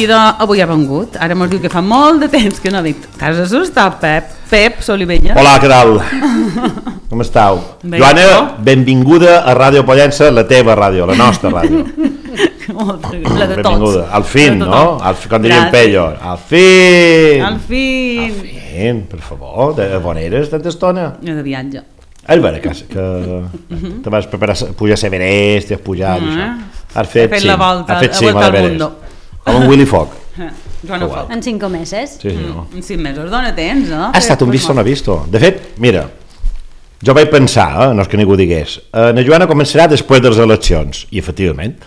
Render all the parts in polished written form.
seguida avui ha vengut. Ara mos diu que fa molt de temps que no dic. T'has assustat, Pep Solivella? Hola, què tal? Com estàu? Bé, Joana, no? Benvinguda a Ràdio Pollença, la teva ràdio, la nostra ràdio. La de tots. Benvinguda. Al fin, La de no? tothom. Com diríem Gràcies. Pello. Al fin! Al fin. Al fin, per favor. On eres tanta estona? Jo de viatge. És vera que te vas preparar a pujar a Everest, has pujat i això. Has fet la volta, has fet la volta a al l'Everest. mundo. Com en Willy Fogg. Joana Foc. En 5 meses. Sí, senyor. En 5 mesos, dona temps, no? Ha estat un visto no visto. De fet, mira, jo vaig pensar, no és que ningú digués, la Joana començarà després de les eleccions. I efectivament.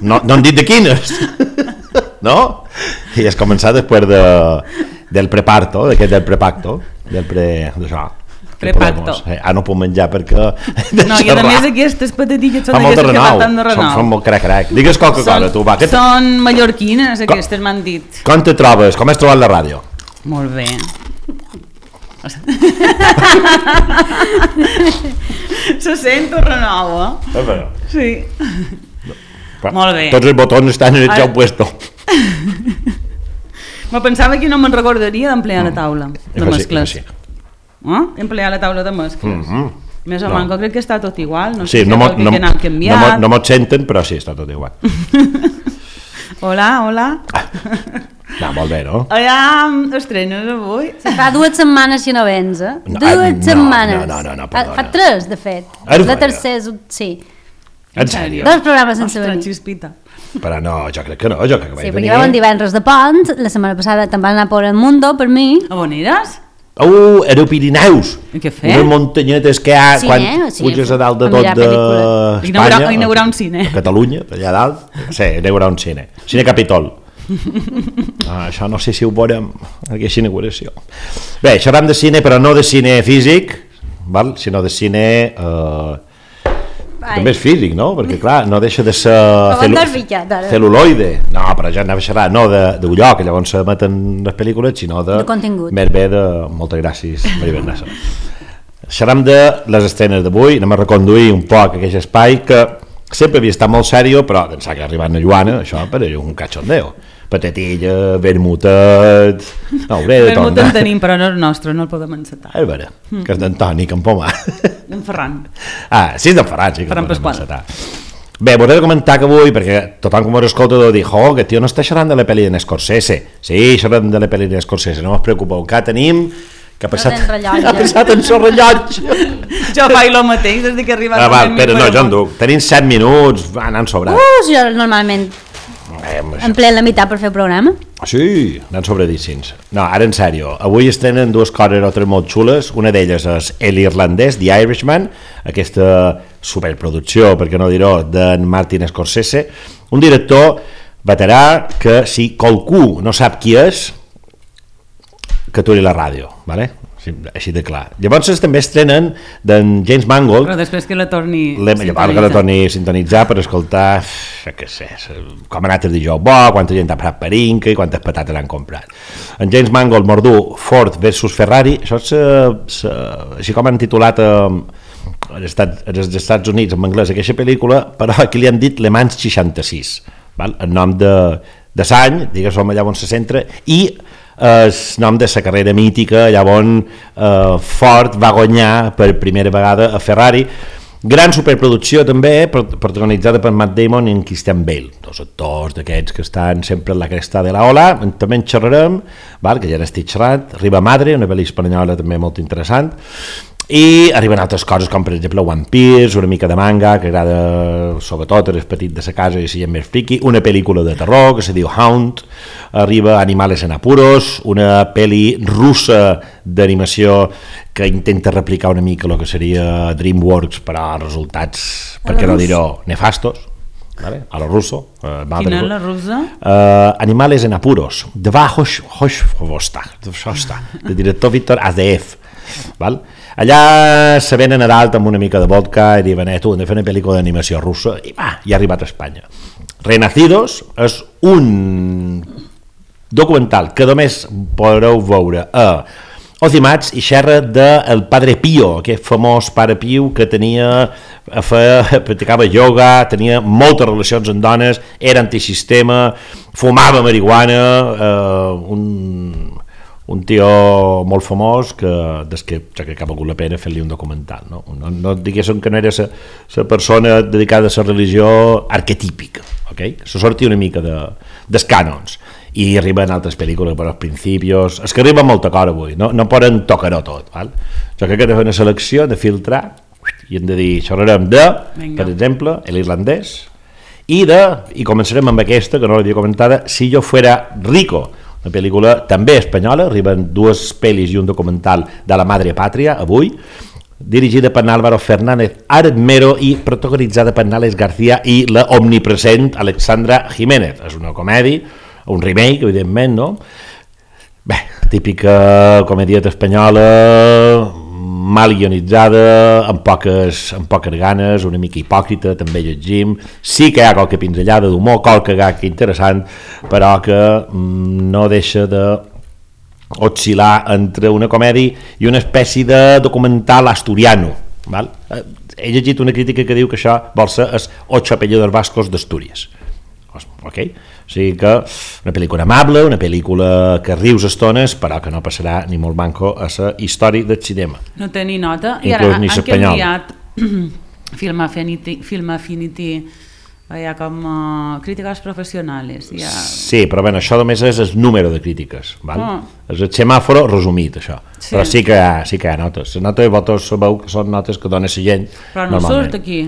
No han dit de quines. No? I has començat després del preparto, d'aquest del prepacto, d'això. Prepacto. No puc menjar perquè... No, i a més aquestes patatilles són fa molt de d'aquestes que renou. maten de renou. Fan molt crac. Digues qualque cosa, tu, va. Són mallorquines, aquestes m'han dit. Com te trobes? Com has trobat la ràdio? Molt bé. Se sent un renou, eh? Sí. Molt bé. Tots els botons estan en el seu puesto. Me pensava que no me'n recordaria d'emplear la taula de mescles. Sí. Emplear la taula de mescles. Més o menys, crec que està tot igual. No Sí, sé si vol que anat canviat. no mos senten, però sí, està tot igual. Hola. No, molt bé, no? Hola, estrenes avui? Fa 2 setmanes si no vens, eh? No, 2 setmanes. no, perdona. Fa 3, de fet. És La vera? tercera, sí. En sèrio? 2 programes sense Ostres, venir. xispita. Però no, jo crec que no, jo crec que vaig Sí, perquè venir. vam un divendres de pont, la setmana passada te'n vas anar por el mundo, per mi. A on eres? Era a Pirineus. I què fer? Unes muntanyetes que hi ha Sí, quan sí, puges a dalt de a tot mirar pel·lícula. d'Espanya. Inaugurar un cine. A Catalunya, allà dalt. Sí, inaugurar un cine. Cine Capitol. Això no sé si ho veurem, aquesta inauguració. Bé, xerram de cine, però no de cine físic, val? Sinó de cine... també és físic, no? Perquè, clar, no deixa de ser t'has ficat, ara. celuloide. No, però ja anava a xerrar, no d'un lloc, que llavors s'emeten les pel·lícules, sinó de contingut. Més bé de... Moltes gràcies, Maria Bernassa. Xerram de les estrenes d'avui, anem a reconduir un poc aquest espai que sempre havia estat molt sèrio, però d'ençà que ha arribat la Joana, això per un cachondeo. Patatilla, vermutet... No, hauré de Vermut tornar. en tenim, però no és nostre, no el podem encetar. És vera, que és d'Antoni Campomà. En Ferran. Sí, és d'en Ferran, sí que Ferran el podem Pasqual. encetar. Bé, vos he de comentar que avui, perquè tothom com us escolta deu dir, que tio no està xerrant de la pel·li d'en Scorsese. Sí, xerrem de la pel·li d'en Scorsese, no us preocupeu, que tenim... Que ha passat, tens rellotge. ha passat en seu rellotge. Jo faig el mateix des que he arribat. Va, espera, no, jo en duc. Tenim 7 minuts, anant sobrat. Jo normalment empleo la meitat per fer el programa. Sí, anant sobradíssims. No, ara en sèrio, avui estrenen 2 coses o 3 molt xules. Una d'elles és l'irlandès, The Irishman, aquesta superproducció, per què no dir-ho, d'en Martin Scorsese, un director veterà que si qualcú no sap qui és, que aturi la ràdio, ¿vale? Així de clar. Llavors també estrenen d'en James Mangold, Però després que la torni... llavors que la torni a sintonitzar per escoltar, què sé, com ha anat el dijous bo, quanta gent ha parat per Inca i quantes patates l'han comprat. En James Mangold mordú Ford versus Ferrari, això és així com han titulat als Estats Units en anglès aquesta pel·lícula, però aquí li han dit Le Mans 66, val? El nom de l'any, digues-ho allà on se centra, i el nom de la carrera mítica allà on Ford va guanyar per primera vegada a Ferrari. Gran superproducció també, protagonitzada per Matt Damon i en Christian Bale, 2 actors d'aquests que estan sempre en la cresta de la ola. També en xerrarem, val? Que ja n'estic xerrant. Riba Madre, una pel·li espanyola també molt interessant, i arriben altres coses com per exemple One Piece, una mica de manga que agrada sobretot als petits de sa casa i si hi ha més friki, una pel·lícula de terror que se diu Hound, arriba Animales en Apuros, una pel·li russa d'animació que intenta replicar una mica el que seria DreamWorks, però resultats, per què no dir-ho, nefastos, ¿vale? A lo ruso. Quina és la russa? Animales en Apuros, de director Víctor Azdeev, val? Allà se venen a dalt amb una mica de vodka i diuen, tu, hem de fer una pel·lícula d'animació russa, i va, i ha arribat a Espanya. Renacidos és un documental que només podreu veure a Ozimats i xerra del Padre Pío, aquest famós Pare Pío que practicava ioga, tenia moltes relacions amb dones, era antisistema, fumava marihuana, un tio molt famós que ha valgut la pena fer-li un documental, no diguéssim que no era la persona dedicada a la religió arquetípica, okay? Se sortia una mica dels cànons, i arriben altres pel·lícules per als principios, és que arriba molta cosa avui, no poden tocar-ho tot, val? Jo crec que he de fer una selecció, de filtrar, i hem de dir, xerrarem per exemple, l'irlandès, i començarem amb aquesta, que no l'havia comentada, Si yo fuera rico, una pel·lícula també espanyola, arriben 2 pel·lis i un documental de la Madre Patria, avui, dirigida per Álvaro Fernández Armero i protagonitzada per Nales García i la omnipresent Alexandra Jiménez. És una comèdia, un remake, evidentment, no? Bé, típica comedieta espanyola, mal guionitzada, amb poques ganes, una mica hipòcrita, també llegim. Sí que hi ha qualque pinzellada d'humor, qualque gag interessant, però que no deixa de oscil·lar entre una comèdia i una espècie de documental asturiano. Val? He llegit una crítica que diu que això vol ser els Ocho apellidos vascos d'Astúries. Okay? O sigui que una pel·lícula amable, una pel·lícula que rius estones, però que no passarà ni molt manco a la història del cinema. No té ni nota. I ara han canviat Film Affinity, hi ha com crítiques professionals. Sí, però bé, això només és el número de crítiques, val? És el semàforo resumit, això. Sí. Però sí que hi ha notes. Les notes vosaltres sabeu que són notes que dona la gent. Però no surt aquí.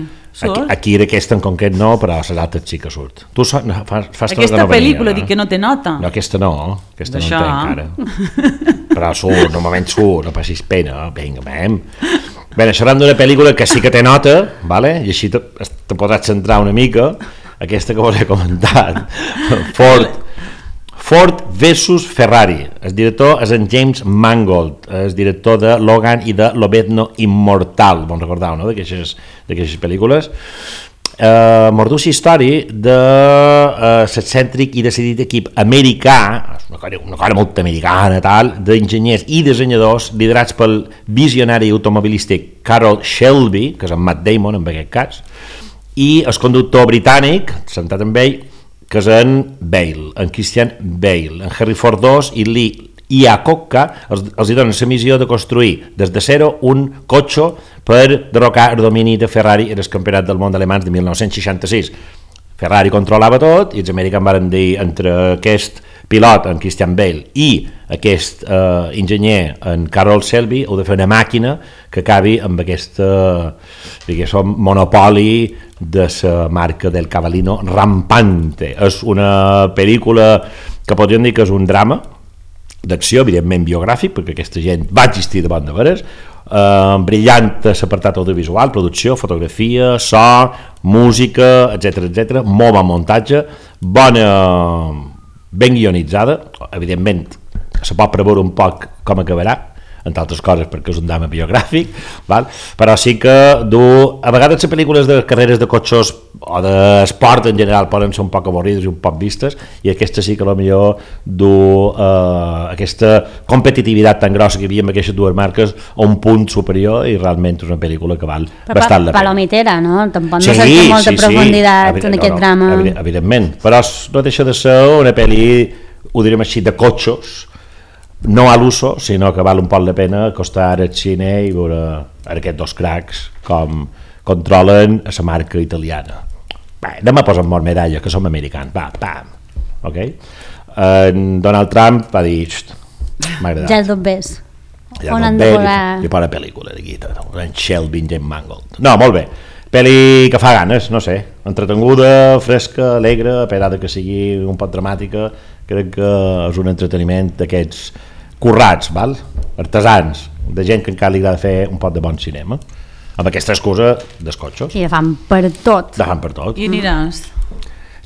Aquí d'aquesta en concret no, però a les altres sí que surt. Tu fas aquesta pel·lícula dic que no té nota. No, aquesta no en té encara. Però surt, normalment surt, no passis pena, vinga, vam. Bé, xerrant d'una pel·lícula que sí que té nota, vale? I així te podràs centrar una mica, aquesta que vos he comentat, Ford versus Ferrari. El director és en James Mangold, el director de Logan i de Lobezno Immortal, bon recordeu, no?, d'aquestes pel·lícules. Mordús història de l'excèntric i decidit equip americà, una cosa molt americana, tal, d'enginyers i dissenyadors liderats pel visionari automobilístic Carroll Shelby, que és en Matt Damon en aquest cas, i el conductor britànic, sentat amb ell, que és en Bale, en Christian Bale, en Harry Ford II i Lee Iacocca els donen la missió de construir des de zero un cotxe per derrocar el domini de Ferrari en el campionat del món alemany de 1966. Ferrari controlava tot i els americans van dir entre aquest pilot, en Christian Bale, i aquest enginyer, en Carroll Shelby, heu de fer una màquina que acabi amb aquest monopoli de la marca del Cavallino rampante. És una pel·lícula que podríem dir que és un drama d'acció, evidentment biogràfic, perquè aquesta gent va existir davant de veres, brillant l'apartat audiovisual, producció, fotografia, so, música, etc, molt bon muntatge, ben guionitzada, evidentment se pot preveure un poc com acabarà, entre altres coses perquè és un drama biogràfic, val? Però sí que a vegades les pel·lícules de carreres de cotxes o d'esport en general poden ser un poc avorrides i un poc vistes, i aquesta sí que potser aquesta competitivitat tan grossa que hi havia amb aquestes dues marques a un punt superior, i realment és una pel·lícula que val bastant la pena. Palomitera, no? Tampoc no sé molta profunditat en aquest drama. Evidentment, però no deixa de ser una pel·li, ho direm així, de cotxos, no a l'uso, sinó que val un poc la pena acostar al cine i veure aquests dos cracs com controlen a la marca italiana. Bé, anem a posar molt medalla, que som americans, pam, ok? Donald Trump va dir, m'ha agradat. Ja és tot bes. On han de volar? I per la pel·lícula, en Shelby, James Mangold. No, molt bé. Pel·li que fa ganes, no sé, entretenguda, fresca, alegre, a pesar que sigui un poc dramàtica, crec que és un entreteniment d'aquests currats, val? Artesans, de gent que encara li agrada fer un poc de bon cinema, amb aquesta excusa dels cotxos. I de fan per tot. I aniràs?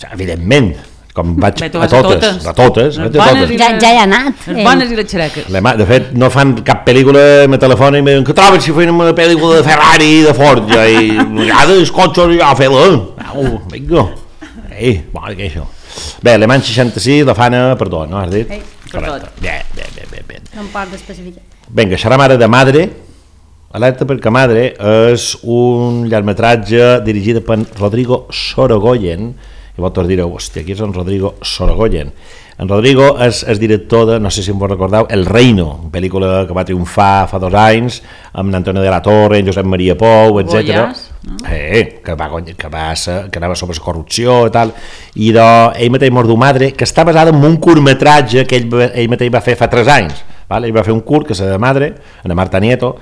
Evidentment, com vaig a totes. Ja he anat. Les bones i les xereques. De fet, no fan cap pel·lícula, me telefona i me diuen que trobes si feien una pel·lícula de Ferrari i de Ford, i els cotxos ja fer-la. Vinga. Bona que això. Bé, Le Mans 66, la fana, perdó, no has dit? Per tot. Bé. No em pot especificar. Vinga, xerram ara de Madre. Alerta perquè Madre és un llargmetratge dirigit per Rodrigo Sorogoyen i vosaltres direu, hòstia, aquí és en Rodrigo Sorogoyen. En Rodrigo és director de, no sé si em vos recordeu, El Reino, pel·lícula que va triomfar fa 2 anys, amb Antonio de la Torre, Josep Maria Pou, etc. Que anava sobre la corrupció i tal, i ell mateix Mordu Madre, que està basada en un curtmetratge que ell mateix va fer fa 3 anys. Ell va fer un curt que és de Madre, en Marta Nieto,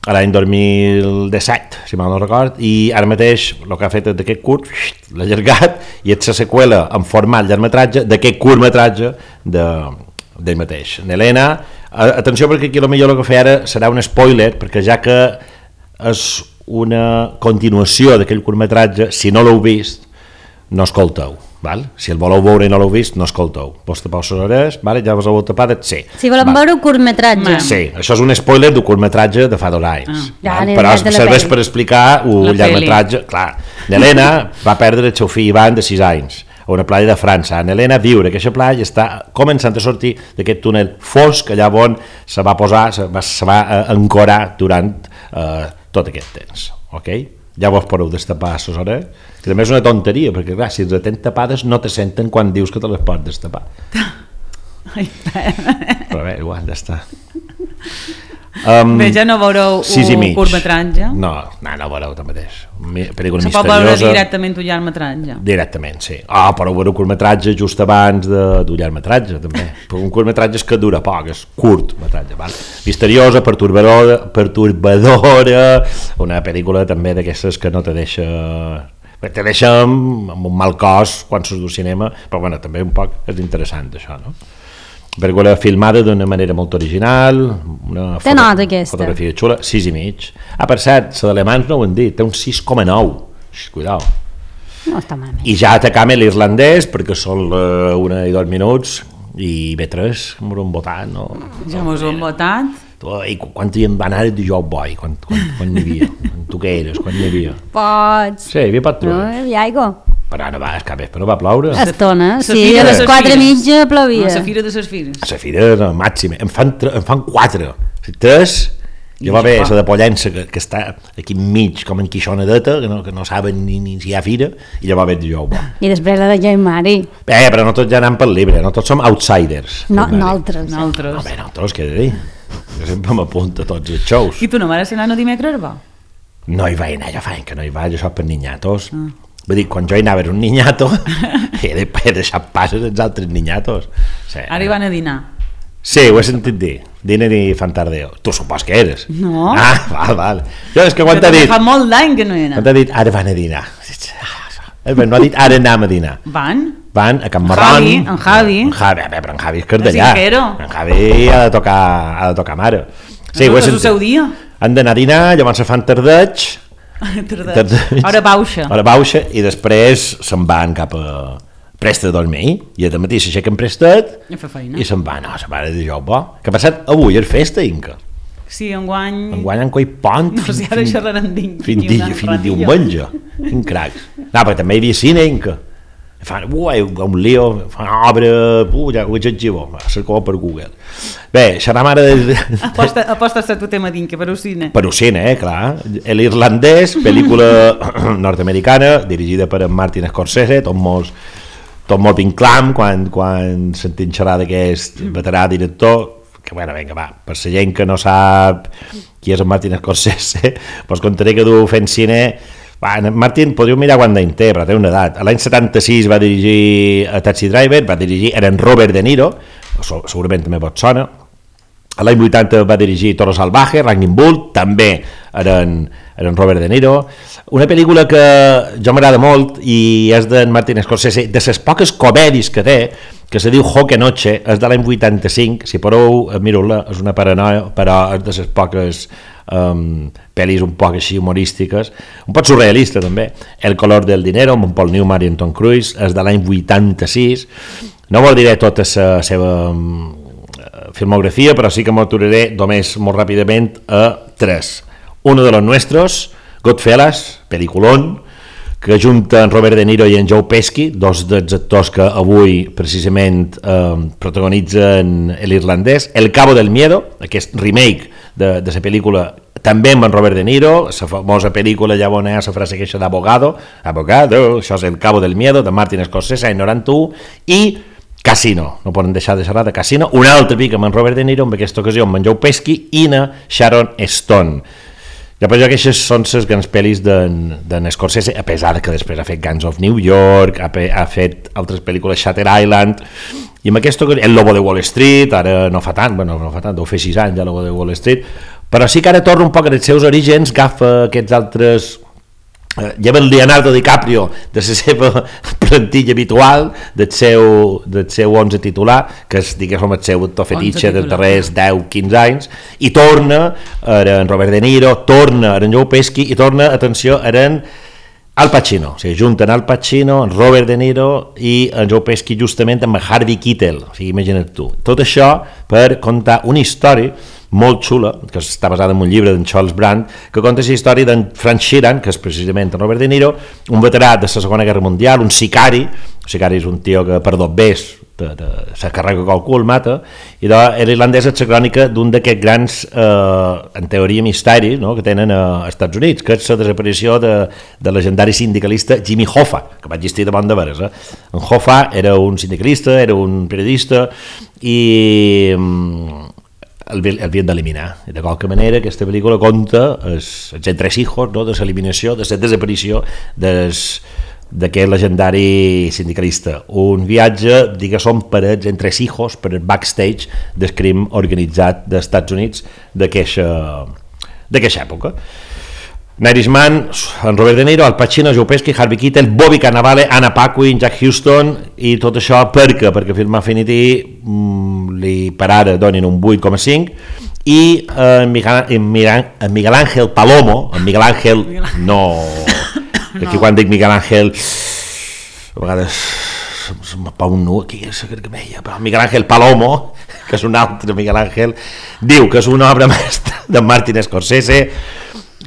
a l'any 2017, si mal no record, i ara mateix el que ha fet d'aquest curt l'ha allargat i és la seqüela en format llargmetratge d'aquest curtmetratge d'ell mateix. N'Helena, atenció perquè aquí potser el que fa ara serà un spoiler, perquè ja que és una continuació d'aquell curtmetratge, si no l'heu vist, no escolteu. Val? Si el voleu veure i no l'heu vist, no escolteu. Vos tapeu les orelles, vale? Ja vos heu tapat, sí. Si volem veure un curtmetratge. Sí, això és un spoiler d'un curtmetratge de fa 2 anys. Però serveix per explicar un llargmetratge. Clar, N'Helena va perdre el seu fill Ivan de 6 anys a una platja de França. N'Helena viure a aquesta platja està començant a sortir d'aquest túnel fosc allà on se va posar, se va ancorar durant tot aquest temps. Ok? Ja vos podeu destapar les orelles, que també és una tonteria, perquè clar, si les tens tapades no te senten quan dius que te les pots destapar. Però bé, igual, ja està. Bé, ja no veureu un curtmetratge? No veureu tanmateix. Pel·lícula misteriosa. Se pot veure directament un llargmetratge? Directament, sí. Però veure un curtmetratge just abans d'un llargmetratge, també. Un curtmetratge és que dura poc, és curtmetratge. Misteriosa, perturbadora, una pel·lícula també d'aquestes que no te deixa... Te deixa amb un mal cos quan surts del cinema, però bueno, també un poc és interessant això, no? Pel·lícula filmada d'una manera molt original, una fotografia xula, 6,5. Per cert, la d'Alemans no ho han dit, té un 6,9. Cuidao. No està malament. I ja atacam l'irlandès, perquè són 1 i 2 minuts, i B3, mos han votat, no? Ja mos han votat. I quan hi van anar de Joe Boy, quan hi havia? Tu què eres, quan hi havia? Pots. Sí, hi havia patrons. No, hi ha aigua. Però no va, és que no va ploure. Estona, sí, a les 4:30 plovia. La fira de les fires. La fira era màxima, em fan 4. 3, ja va bé, la de Pollença, que està aquí enmig, com en Quixonadeta, que no saben ni si hi ha fira, i ja va bé de Jou. I després la de Joan Mari. Però no tots ja anant pel libre, no tots som outsiders. No, nosaltres. Nosaltres, què he de dir? Jo sempre m'apunto a tots els shows. I tu no vas anar a dimecres, va? No hi vaig anar, jo fa que no hi vaig, jo soc per niñatos. Vull dir, quan jo hi anava era un niñato, he deixat passes els altres niñatos. Sí. Ara hi van a dinar. Sí, ho he sentit dir. Diner i fan tardeo. Tu supos que eres. No. Val. Jo és que quan t'ha dit... Fa molt d'any que no hi he anat. Quan t'ha dit, ara van a dinar. No ha dit, ara anem a dinar. Van a Can Marrón. En Javi. Però en Javi és cardellà. En Javi ha de tocar mare. Sí, ho he sentit. És el seu dia. Han d'anar a dinar, llavors se fan tardeig. Hora baixa i després se'n van cap a Presta a dormir i al matí s'aixequen prestat i se'n van, se'n van de joc bo. Que ha passat avui, és festa, Inca? Sí, enguany han coi pont si ara xerraran fins diumenge. Quin cracs. Però també hi havia cine, Inca. Fan un lío, fan obra, ja ho exagero, cerco per Google. Bé, xerram ara de... Aposta a tu tema d'Inca, per cine. Per cine, clar. L'irlandès, pel·lícula nord-americana, dirigida per en Martin Scorsese, tot molt vinclam quan sentim xerrar d'aquest veterà director, que vinga, va, per la gent que no sap qui és en Martin Scorsese, doncs contaré que du fent cine. Martin, podríeu mirar quant d'any té, però té una edat. L'any 76 va dirigir a Taxi Driver, era en Robert De Niro, segurament també vos sona. L'any 80 va dirigir Toro Salvaje, Raging Bull, també era en Robert De Niro. Una pel·lícula que jo m'agrada molt i és d'en Martin Scorsese, de les poques comèdies que té, que se diu Joque Noche, és de l'any 85, si podeu, mireu-la, és una paranoia, però és de les poques pel·lis un poc així humorístiques, un poc surrealista també. El color del dinero, amb en Paul Newman i en Tom Cruise, és de l'any 86. No vol diré tota la seva filmografia, però sí que m'aturaré només molt ràpidament a 3. Uno de los nuestros, Goodfellas, peliculón, que junta en Robert De Niro i en Joe Pesci, dos dels actors que avui precisament protagonitzen l'irlandès. El Cabo del Miedo, aquest remake de la pel·lícula, també amb en Robert De Niro, la famosa pel·lícula ja on hi ha la frase queixa d'Abogado, això és El Cabo del Miedo, de Martin Scorsese, any 91, i Casino, no poden deixar de xerrar de Casino, un altre pic amb en Robert De Niro, en aquesta ocasió amb en Joe Pesci i na Sharon Stone. Després aquestes són les grans pel·lis d'en Scorsese, a pesar que després ha fet Gangs of New York, ha fet altres pel·lícules, Shutter Island, i amb aquesta ocasió, El Lobo de Wall Street, ara no fa tant, deu fer 6 anys El Lobo de Wall Street, però sí que ara torna un poc als seus orígens, agafa aquests altres... lleva el Leonardo DiCaprio de la seva plantilla habitual del seu 11 titular, que és, diguéssim, el seu actor fetitxe dels darrers 10-15 anys, i torna en Robert De Niro, torna en Joe Pesci i torna, atenció, en Al Pacino, o sigui, junten Al Pacino, en Robert De Niro i en Joe Pesci justament amb Harvey Keitel, o sigui, imagina't tu. Tot això per contar una història molt xula, que està basada en un llibre d'en Charles Brandt, que conta la història d'en Frank Sheeran, que és precisament en Robert De Niro, un veterà de la Segona Guerra Mundial, un sicari és un tio que per dobbers se carrega qualcú, el mata, i era irlandès, és la crònica d'un d'aquests grans, en teoria, misteris, no?, que tenen als Estats Units, que és la desaparició de legendari sindicalista Jimmy Hoffa, que va existir de bon de veres. En Hoffa era un sindicalista, era un periodista, i el havien d'eliminar. De qualque manera, aquesta pel·lícula conta els entresijos, no?, de l'eliminació, de la desaparició d'aquest legendari sindicalista. Un viatge, diguéssim, per els entresijos, per el backstage del crim organitzat dels Estats Units d'aquesta època. Irishman, en Robert De Niro, Al Pacino, Joe Pesci, Harvey Keitel, Bobby Cannavale, Anna Paquin, Jack Huston, i tot això perquè Film Affinity li per ara donin un 8,5, i Miguel Ángel Palomo, Miguel Ángel no, aquí quan dic Miguel Ángel a vegades se'm pau un nu aquí, però Miguel Ángel Palomo, que és un altre Miguel Ángel, diu que és una obra mestra de Martin Scorsese,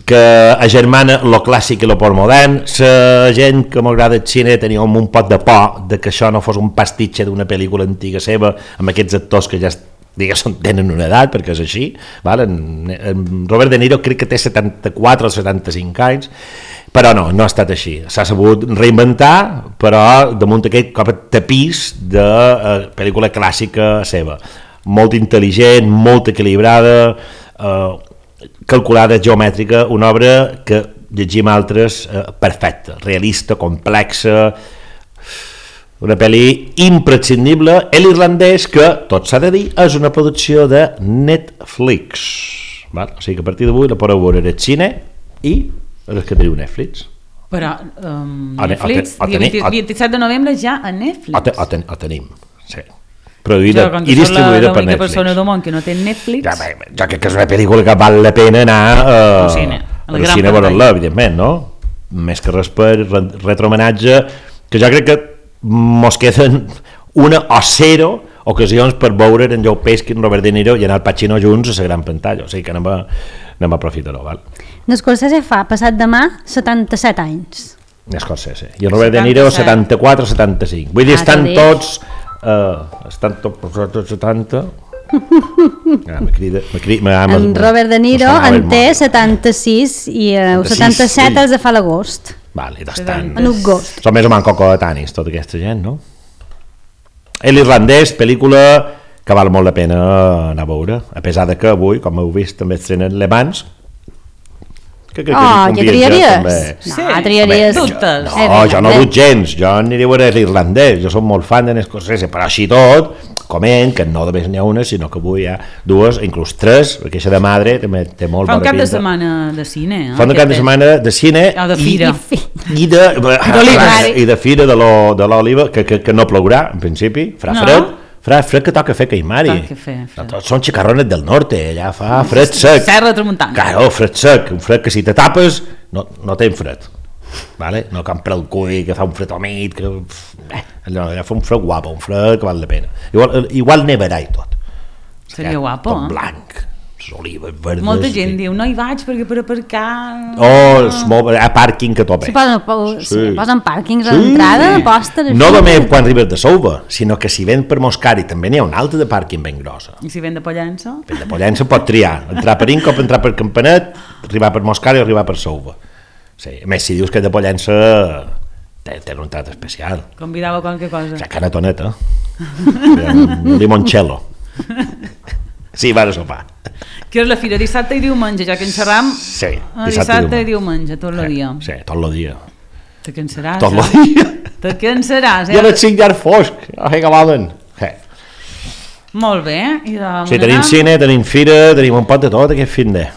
que agermana lo clàssic i lo postmodern. La gent que m'agrada el cine tenia un pot de por de que això no fos un pastitxe d'una pel·lícula antiga seva, amb aquests actors que ja diguéssim tenen una edat, perquè és així, val? En Robert De Niro crec que té 74 o 75 anys, però no ha estat així. S'ha sabut reinventar, però damunt aquest tapís de pel·lícula clàssica seva. Molt intel·ligent, molt equilibrada, calculada, geomètrica, una obra que llegim altres perfecta, realista, complexa, una pel·li imprescindible. L'irlandès, que tot s'ha de dir, és una producció de Netflix, val? O sigui que a partir d'avui la podeu veure al cine i és que teniu Netflix. Però Netflix, 27 de novembre ja a Netflix. Ho tenim, sí. Produïda i distribuïda per Netflix. L'única persona del món que no té Netflix... Jo crec que és una pel·lícula que val la pena anar al cine a veure-la, evidentment, no? Més que res per retromenatge, que jo crec que mos queden una o 0 ocasions per veure en Joe Pesci, en Robert De Niro i en Al Pacino junts a la gran pantalla, o sigui que anem a aprofitar-ho, val? N'Scorsese fa, passat demà, 77 anys. N'Scorsese. I en Robert De Niro 74 o 75. Vull dir, estan tots... estan tots 70. En Robert De Niro en té 76 i 77 els de fa l'agost. Vale, estan... En agost. Són més o menys cocoetanis, tota aquesta gent, no? L'irlandès, pel·lícula que val molt la pena anar a veure, a pesar de que avui, com heu vist, també estrenen Le Mans. Ja triaries? No, triaries. No, jo no dut gens, jo aniré a veure l'irlandès, jo soc molt fan de Scorsese, però així tot, coment, que no només n'hi ha una, sinó que avui hi ha 2, inclús 3, perquè això de madre té molt bona pinta. Fa un cap de setmana de cine. Fa un cap de setmana de cine de fira. I de fira de l'Oliva, que no plourà, en principi, farà fred que toca fer Caimari. Són xicarrones del norte, allà fa fred sec. Serra Tramuntana. Claro, fred sec, un fred que si te tapes no tens fred. Vale? No compra el cull, que fa un fred humit, que allà fa un fred guapo, un fred que val la pena. Igual nevarà i tot. Seria guapo, tot blanc, les olives verdes... Molta gent diu, no hi vaig perquè per aparcar... a pàrquing que tope. Posen pàrquings a l'entrada, postes... No només quan arribes de Souva, sinó que si ven per Moscari també n'hi ha una altra de pàrquing ben grossa. I si ven de Pollença? Ven de Pollença pot triar, entrar per Inca o entrar per Campanet, arribar per Moscari o arribar per Souva. Sí, a més, si dius que de Pollença té un trat especial. Convidava qualque cosa. La canatoneta. Un limoncello. Sí, va a sopar. Que és la fira dissabte i diumenge, ja que en xerram. Sí, dissabte i diumenge, tot el dia. Sí, tot el dia. Te cansaràs. Tot el dia. Te cansaràs. Ja les 5 llarg fosc, que acabaven. Molt bé. Sí, tenim cine, tenim fira, tenim un pot de tot aquest fin de.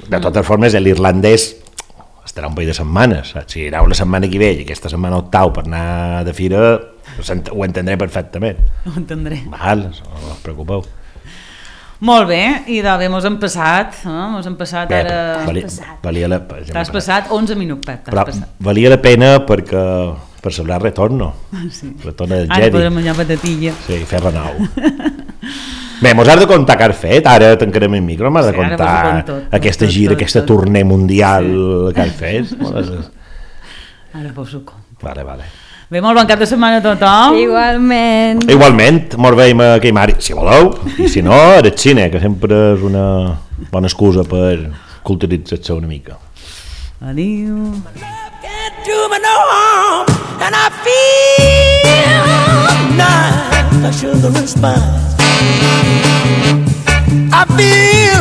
De totes formes, l'irlandès estarà un parell de setmanes. Si aneu la setmana que ve i aquesta setmana octau per anar de fira, ho entendré perfectament. Ho entendré. Val, no us preocupeu. Molt bé, i d'haver mos hem passat bé, ara... T'has passat 11 minuts, Pep, però valia la pena perquè per celebrar el retorno. Sí. Retorno del Jedi. Ara podrem menjar patatilla. Sí, fer renou. Bé, mos has de contar què has fet, ara tancarem el micro, m'has de contar aquesta gira, aquesta tournée mundial que has fet. Ara vos ho conto. Vale. Bé, molt bon cap de setmana a tothom. Igualment, molt veiem a Queimari, si voleu, i si no, al cine, que sempre és una bona excusa per culturitzar-se una mica. Adiu. And I feel nice, a sugar and spice.